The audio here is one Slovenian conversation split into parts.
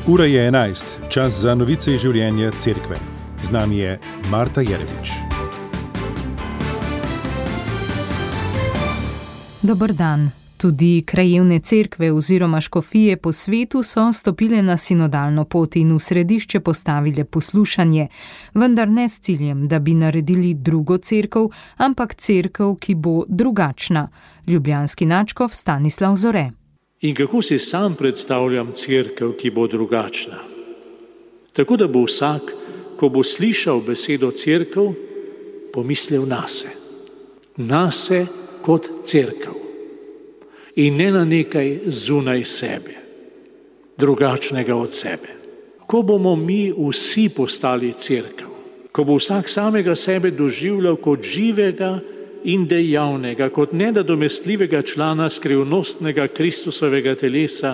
Ura je 11, čas za novice iz življenja cerkve. Z nami je Marta Jeremič. Dober dan. Tudi krajevne cerkve oziroma škofije po svetu so stopile na sinodalno pot in v središče postavile poslušanje, vendar ne s ciljem, da bi naredili drugo cerkev, ampak cerkev, ki bo drugačna. Ljubljanski nadškof Stanislav Zore. In kako si sam predstavljam cerkev, ki bo drugačna? Tako da bo vsak, ko bo slišal besedo cerkev, pomislil nase. Nase kot cerkev. In ne na nekaj zunaj sebe, drugačnega od sebe. Ko bomo mi vsi postali cerkev, ko bo vsak samega sebe doživljal kot živega in dejavnega, kot nenadomestljivega člana skrivnostnega Kristusovega telesa,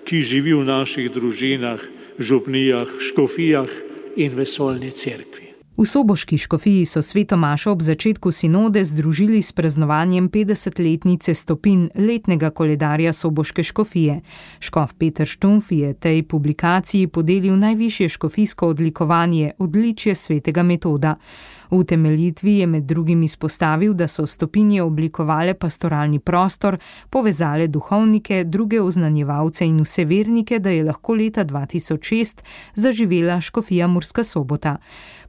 ki živi v naših družinah, župnijah, škofijah in vesoljni cerkvi. V soboški škofiji so sveto mašo ob začetku sinode združili s praznovanjem 50-letnice stopinj letnega koledarja soboške škofije. Škof Peter Štumf je tej publikaciji podelil najvišje škofijsko odlikovanje odličje svetega Metoda. V utemeljitvi je med drugim izpostavil, da so stopinje oblikovale pastoralni prostor, povezale duhovnike, druge oznanjevalce in vse vernike, da je lahko leta 2006 zaživela škofija Murska Sobota.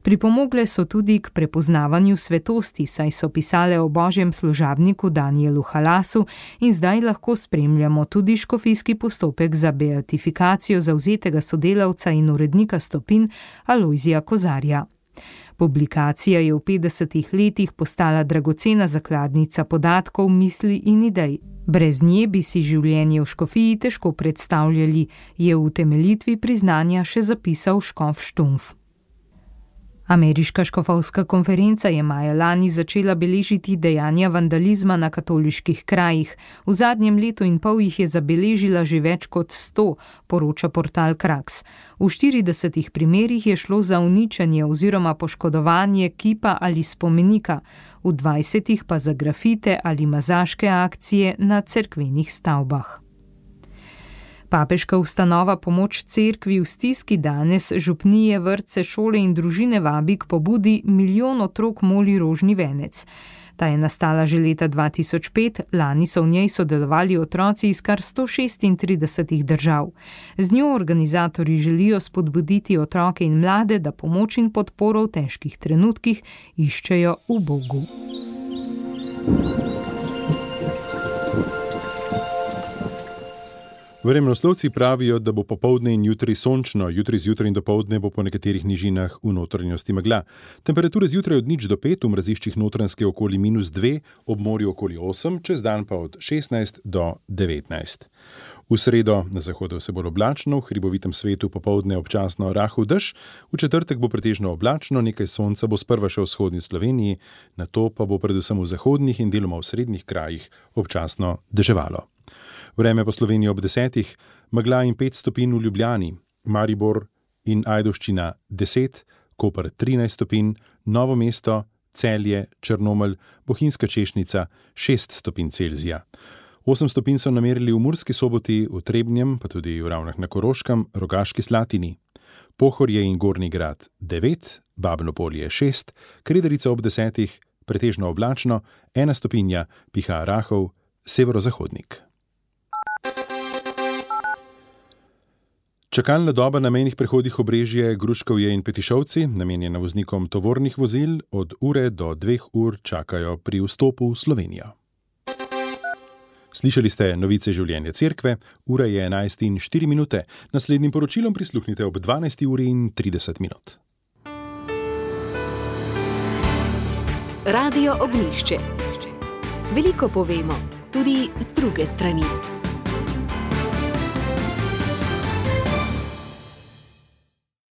Pripomogle so tudi k prepoznavanju svetosti, saj so pisale o božjem služabniku Danielu Halasu in zdaj lahko spremljamo tudi škofijski postopek za beatifikacijo zavzetega sodelavca in urednika stopinj Alojzija Kozarja. Publikacija je v 50 letih postala dragocena zakladnica podatkov, misli in idej. Brez nje bi si življenje v škofiji težko predstavljali, je v utemeljitvi priznanja še zapisal škof Štumf. Ameriška škofovska konferenca je maja lani začela beležiti dejanja vandalizma na katoliških krajih. V zadnjem letu in pol jih je zabeležila že več kot 100, poroča portal Kraks. V 40 primerih je šlo za uničenje oziroma poškodovanje kipa ali spomenika, v 20 pa za grafite ali mazaške akcije na cerkvenih stavbah. Papeška ustanova Pomoč cerkvi v stiski danes župnije, vrtce, šole in družine vabi k pobudi Milijon otrok moli rožni venec. Ta je nastala že leta 2005, lani so v njej sodelovali otroci iz kar 136 držav. Z njo organizatorji želijo spodbuditi otroke in mlade, da pomoč in podporo v težkih trenutkih iščejo v Bogu. Vremenoslovci pravijo, da bo popoldne in jutri sončno, jutri zjutraj in dopoldne bo po nekaterih nižinah v notranjosti megla. Temperature zjutraj od 0 do 5, v mraziščih notranjske okoli -2, ob morju okoli 8, čez dan pa od 16 do 19. V sredo na zahodu vse bolj oblačno, v hribovitem svetu popoldne občasno rahel dež, v četrtek bo pretežno oblačno, nekaj sonca bo sprva še v vzhodni Sloveniji, nato pa bo predvsem v zahodnih in deloma v srednjih krajih občasno deževalo. Vreme po Sloveniji ob 10, megla in 5 stopinj v Ljubljani, Maribor in Ajdovščina 10, Koper 13 stopinj, Novo mesto, Celje, Črnomelj, Bohinjska Češnica 6 stopinj Celzija. 8 stopinj so namerili v Murski Soboti, v Trebnjem, pa tudi v Ravnah na Koroškem, Rogaški Slatini. Pohorje in Gornji Grad 9, Babno Polje 6, Krederica ob 10, pretežno oblačno, 1 stopinja, piha rahel severozahodnik. Čakalna doba na mejnih prehodih Obrežje, Gruškovje in Petišovci, namenjena voznikom tovornih vozil, od ure do 2 ur čakajo pri vstopu v Slovenijo. Slišali ste novice življenja cerkve, ura je 11:04. Naslednjim poročilom prisluhnite ob 12:30. Radio Ognjišče. Veliko povemo, tudi z druge strani.